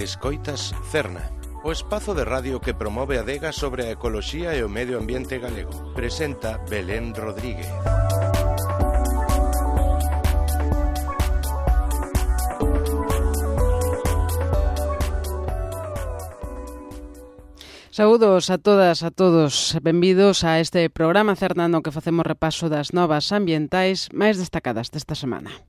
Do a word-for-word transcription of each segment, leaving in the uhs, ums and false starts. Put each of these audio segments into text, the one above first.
Escoitas Cerna, o espazo de radio que promove a adega sobre a ecoloxía e o medio ambiente galego. Presenta Belén Rodríguez. Saúdos a todas, a todos. Benvidos a este programa Cerna no que facemos repaso das novas ambientais máis destacadas desta semana.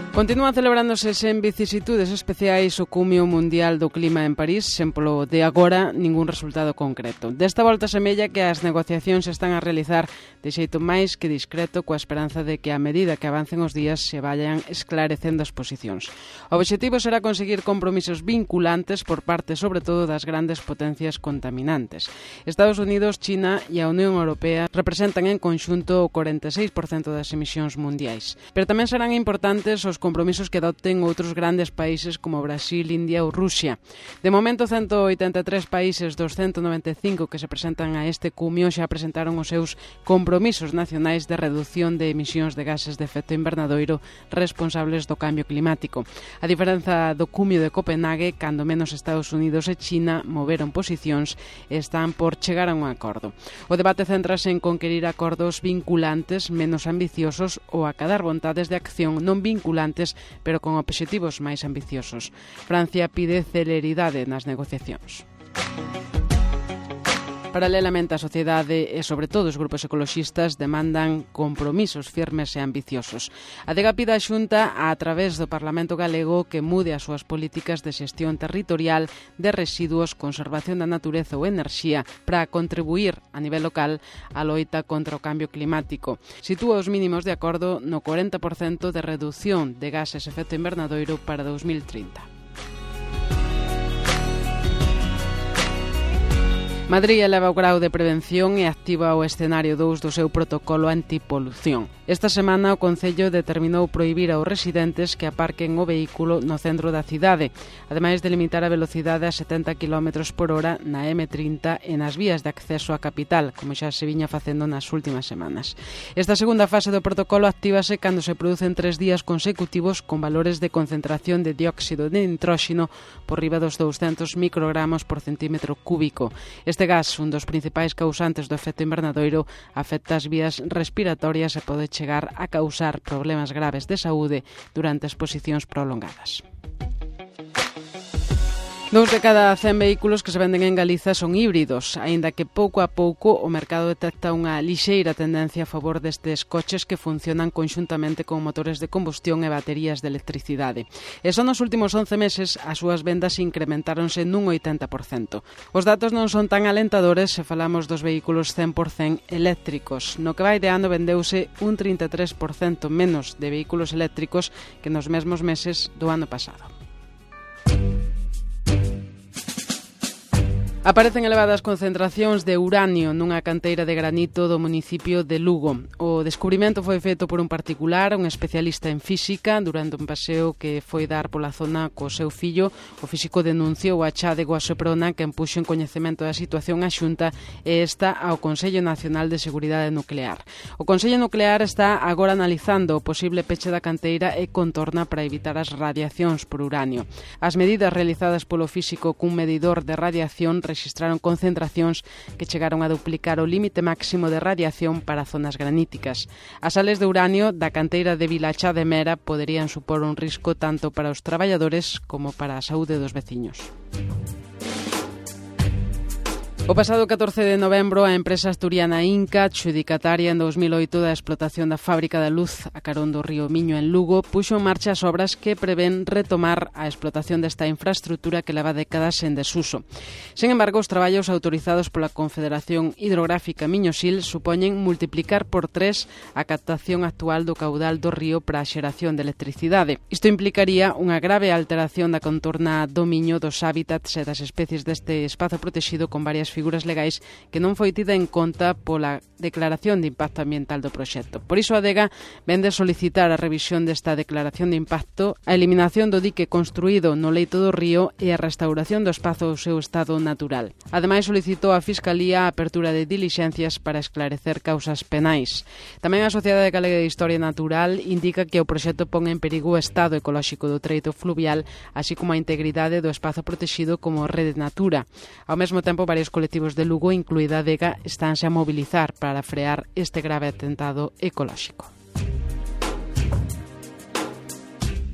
Continúan celebrándose sen vicisitudes especiais o Cumio Mundial do Clima en París, sen polo de agora ningún resultado concreto. Desta volta semella que as negociacións se están a realizar de xeito máis que discreto, coa esperanza de que a medida que avancen os días se vayan esclarecendo as posicións. O obxectivo será conseguir compromisos vinculantes por parte sobre todo das grandes potencias contaminantes. Estados Unidos, China e a Unión Europea representan en conxunto o corenta e seis por cento das emisións mundiais. Pero tamén serán importantes os compromisos que adopten outros grandes países como Brasil, India ou Rusia. De momento, ciento oitenta e tres países dos ciento noventa e cinco que se presentan a este cumio xa presentaron os seus compromisos nacionais de reducción de emisións de gases de efecto invernadoiro responsables do cambio climático. A diferenza do cumio de Copenhague, cando menos Estados Unidos e China moveron posicións e están por chegar a un acordo. O debate céntrase en conquerir acordos vinculantes menos ambiciosos ou acadar vontades de acción non vinculantes pero con obxectivos máis ambiciosos. Francia pide celeridade nas negociacións. Paralelamente, a sociedade e, sobre todo, os grupos ecoloxistas demandan compromisos firmes e ambiciosos. A Adega pide á Xunta, a través do Parlamento Galego, que mude as súas políticas de xestión territorial de residuos, conservación da natureza ou enerxía para contribuir a nivel local á loita contra o cambio climático. Sitúa os mínimos de acordo no corenta por cento de reducción de gases efecto invernadoiro para dos mil trinta. Madrid eleva o grau de prevención e activa o escenario dous do seu protocolo antipolución. Esta semana o Concello determinou prohibir aos residentes que aparquen o vehículo no centro da cidade, ademais de limitar a velocidade a setenta quilómetros por hora na eme trinta e nas vías de acceso á capital, como xa se viña facendo nas últimas semanas. Esta segunda fase do protocolo actívase cando se producen tres días consecutivos con valores de concentración de dióxido de nitróxeno por riba dos douscentos microgramos por centímetro cúbico. Este gas, un dos principais causantes do efecto invernadoiro, afecta as vías respiratorias e pode chegar a causar problemas graves de saúde durante exposicións prolongadas. Dous de cada cen vehículos que se venden en Galiza son híbridos, aínda que pouco a pouco o mercado detecta unha lixeira tendencia a favor destes coches que funcionan conxuntamente con motores de combustión e baterías de electricidade. E só nos últimos once meses as súas vendas incrementáronse nun oitenta por cento. Os datos non son tan alentadores se falamos dos vehículos cen por cento eléctricos. No que vai de ano vendeuse un trinta e tres por cento menos de vehículos eléctricos que nos mesmos meses do ano pasado. Aparecen elevadas concentracións de uranio nunha canteira de granito do municipio de Lugo. O descubrimento foi feito por un particular, un especialista en física, durante un paseo que foi dar pola zona co seu fillo. O físico denunciou a chádego a Seprona, que empuxo en coñecemento da situación a Xunta e esta ao Consello Nacional de Seguridade Nuclear. O Consello Nuclear está agora analizando o posible peche da canteira e contorna para evitar as radiacións por uranio. As medidas realizadas polo físico cun medidor de radiación rexistraron concentracións que chegaron a duplicar o límite máximo de radiación para zonas graníticas. As sales de uranio da canteira de Vilachá de Mera poderían supor un risco tanto para os traballadores como para a saúde dos veciños. O pasado catorce de novembro, a empresa asturiana Inca, adxudicataria en dous mil oito da explotación da fábrica da luz a carón do río Miño en Lugo, puxo en marcha as obras que prevén retomar a explotación desta infraestructura que leva décadas en desuso. Sen embargo, os traballos autorizados pola Confederación Hidrográfica Miño-Sil supoñen multiplicar por tres a captación actual do caudal do río para a xeración de electricidade. Isto implicaría unha grave alteración da contorna do Miño, dos hábitats e das especies deste espazo protegido con varias figuras legais que non foi tida en conta pola declaración de impacto ambiental do proxecto. Por iso a Adega vende solicitar a revisión desta declaración de impacto, a eliminación do dique construído no leito do río e a restauración do espazo ao seu estado natural. Ademais, solicitou á Fiscalía a apertura de dilixencias para esclarecer causas penais. Tamén a Sociedade Galega de Historia Natural indica que o proxecto pon en perigo o estado ecolóxico do treito fluvial, así como a integridade do espazo protegido como Rede Natura. Ao mesmo tempo, varios colectivos de Lugo, incluída a Adega, estánse a mobilizar para frear este grave atentado ecolóxico.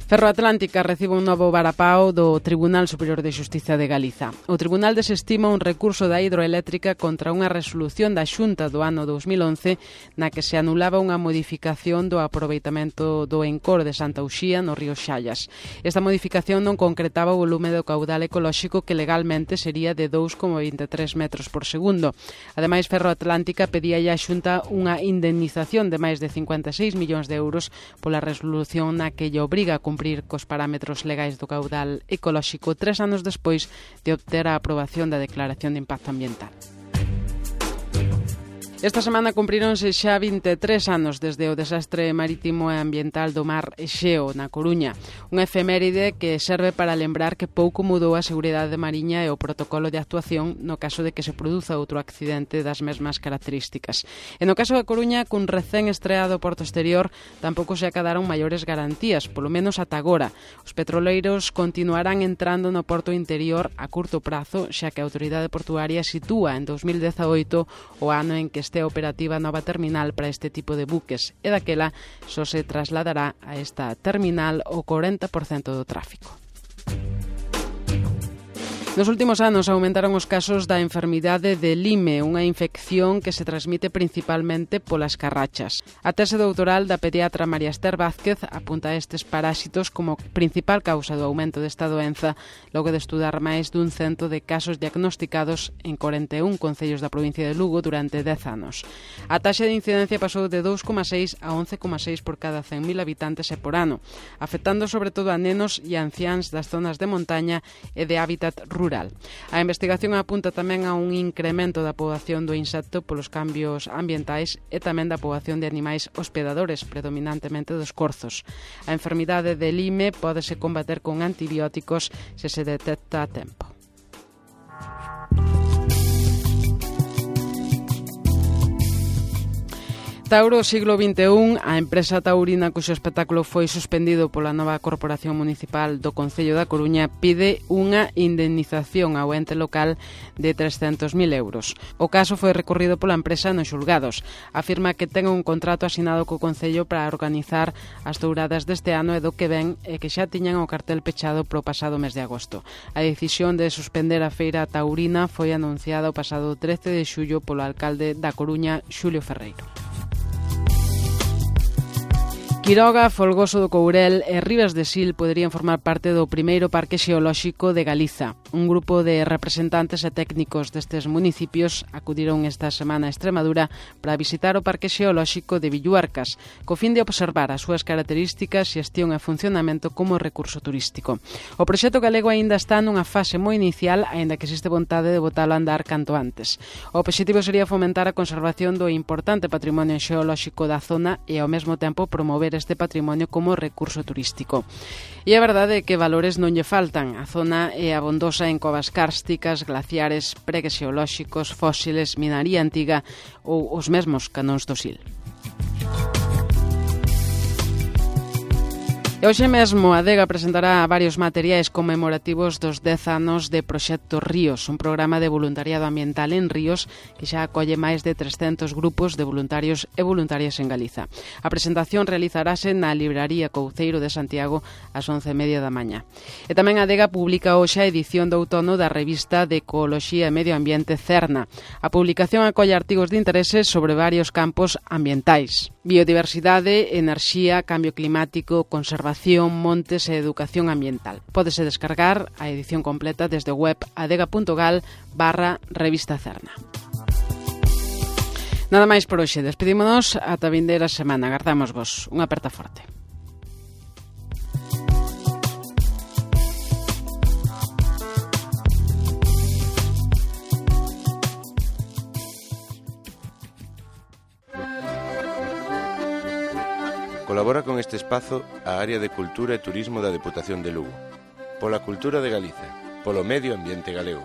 Ferroatlántica recibe un novo varapao do Tribunal Superior de Xustiza de Galiza. O Tribunal desestima un recurso da hidroeléctrica contra unha resolución da Xunta do ano dos mil once na que se anulaba unha modificación do aproveitamento do encor de Santa Uxía no río Xallas. Esta modificación non concretaba o volume do caudal ecolóxico que legalmente sería de dous coma vinte e tres metros por segundo. Ademais, Ferroatlántica pedía á Xunta unha indemnización de máis de cincuenta e seis millóns de euros pola resolución na que lle obriga a cumprir cumprir cos parámetros legais do caudal ecolóxico tres anos despois de obter a aprobación da Declaración de Impacto Ambiental. Esta semana cumpríronse xa vinte e tres anos desde o desastre marítimo e ambiental do mar Exeo, na Coruña. Unha efeméride que serve para lembrar que pouco mudou a seguridade mariña e o protocolo de actuación no caso de que se produza outro accidente das mesmas características. E no caso da Coruña, cun recén estreado porto exterior, tampouco se acadaron maiores garantías, polo menos ata agora. Os petroleiros continuarán entrando no porto interior a curto prazo, xa que a autoridade portuaria sitúa en dos mil dezaoito o ano en que este operativa nova terminal para este tipo de buques e daquela só se trasladará a esta terminal o corenta por cento do tráfico. Nos últimos anos aumentaron os casos da enfermidade de Lyme, unha infección que se transmite principalmente polas carrachas. A tese doutoral da pediatra María Esther Vázquez apunta a estes parásitos como principal causa do aumento desta doenza, logo de estudar máis dun cento de casos diagnosticados en corenta e un concellos da provincia de Lugo durante dez anos. A taxa de incidencia pasou de dous coma seis a once coma seis por cada cen mil habitantes e por ano, afectando sobre todo a nenos e anciáns das zonas de montaña e de hábitat rural. Rural. A investigación apunta tamén a un incremento da poboación do insecto polos cambios ambientais e tamén da poboación de animais hospedadores, predominantemente dos corzos. A enfermidade de Lyme pódese combater con antibióticos se se detecta a tempo. Tauro, siglo vinte e un, a empresa taurina cuxo espectáculo foi suspendido pola nova corporación municipal do Concello da Coruña pide unha indemnización ao ente local de trescentos mil euros. O caso foi recorrido pola empresa nos xulgados. Afirma que ten un contrato asinado co Concello para organizar as touradas deste ano e do que ven e que xa tiñan o cartel pechado pro pasado mes de agosto. A decisión de suspender a feira taurina foi anunciada o pasado trece de xullo polo alcalde da Coruña, Xulio Ferreiro. Quiroga, Folgoso do Courel e Ribas de Sil poderían formar parte do primeiro parque xeolóxico de Galiza. Un grupo de representantes e técnicos destes municipios acudiron esta semana a Extremadura para visitar o parque xeolóxico de Villuarcas, co fin de observar as súas características, xestión e funcionamento como recurso turístico. O proxecto galego aínda está nunha fase moi inicial, aínda que existe vontade de botalo a andar canto antes. O obxectivo sería fomentar a conservación do importante patrimonio xeolóxico da zona e ao mesmo tempo promover este patrimonio como recurso turístico. E a verdade é que valores non lle faltan. A zona é abondosa en covas kársticas, glaciares, pregues xeolóxicos, fósiles, minaría antiga ou os mesmos canóns do Sil. E hoxe mesmo a Adega presentará varios materiais conmemorativos dos dez anos de Proxecto Ríos, un programa de voluntariado ambiental en ríos que xa acolle máis de trescentos grupos de voluntarios e voluntarias en Galiza. A presentación realizarase na Libraría Couceiro de Santiago ás once e media da mañá. E tamén a Adega publica hoxe a edición de outono da revista de Ecoloxía e Medio Ambiente Cerna. A publicación acolle artigos de interese sobre varios campos ambientais: biodiversidade, enerxía, cambio climático, conservación, montes e educación ambiental. Pódese descargar a edición completa desde o web adega.gal barra revista Cerna. Nada máis por hoxe. Despedímonos ata a vindeira semana. Agardamos-vos. Unha aperta forte. Colabora con este espazo a área de Cultura e Turismo da Deputación de Lugo. Pola cultura de Galiza, polo medio ambiente galego.